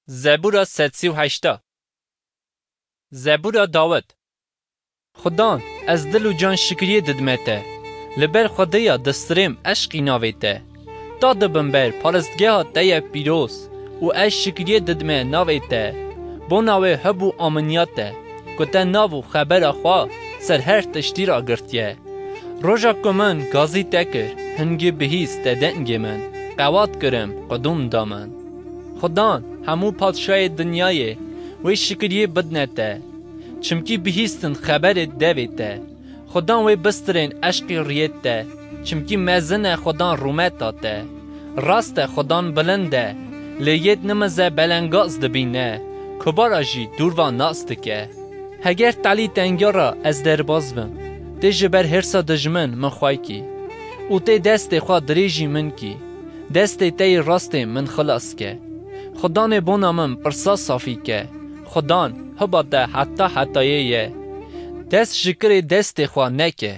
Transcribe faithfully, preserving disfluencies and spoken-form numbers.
Zebûra sed sî û heşta. Zebûra Dawid. Xudan, ez dil û can şikriyê didime te. Li ber Xwedêya distirêm eşqî navê te. Ta dibim ber paristgeha te ye pîroz û ez şikriyê didime navê te. Bona wê hib û aminiya te, ku te nav û xebera xwe ser her tiştî ragirtiye. Roja ku min gazî te kir, hingî bihîst te dengê min, qewat kirim, qudûm da min. Xudan, hemû padşayê dinyayê wê şikriyê bidne te, çimkî bihîstin xeberê devê te. Xudan wê bistirên eşqî riyê te, çimkî mezin e Xudan rûmeta te. Rast e Xudan bilind e, lê yêd nimize belengaz dibîne, kubara jî dûrva nas dike. Heger telî tengiya ra ez derbaz bim, tê ji ber hêrsa dijmin min xway kî û tê destê xwe dirêjî min kî. Destê te yê rastê min xilas ke. Xudanê bona min pirsa safî ke. Xudan, hiba te heta hetayê ye. Dest ji kirê destê xwe neke.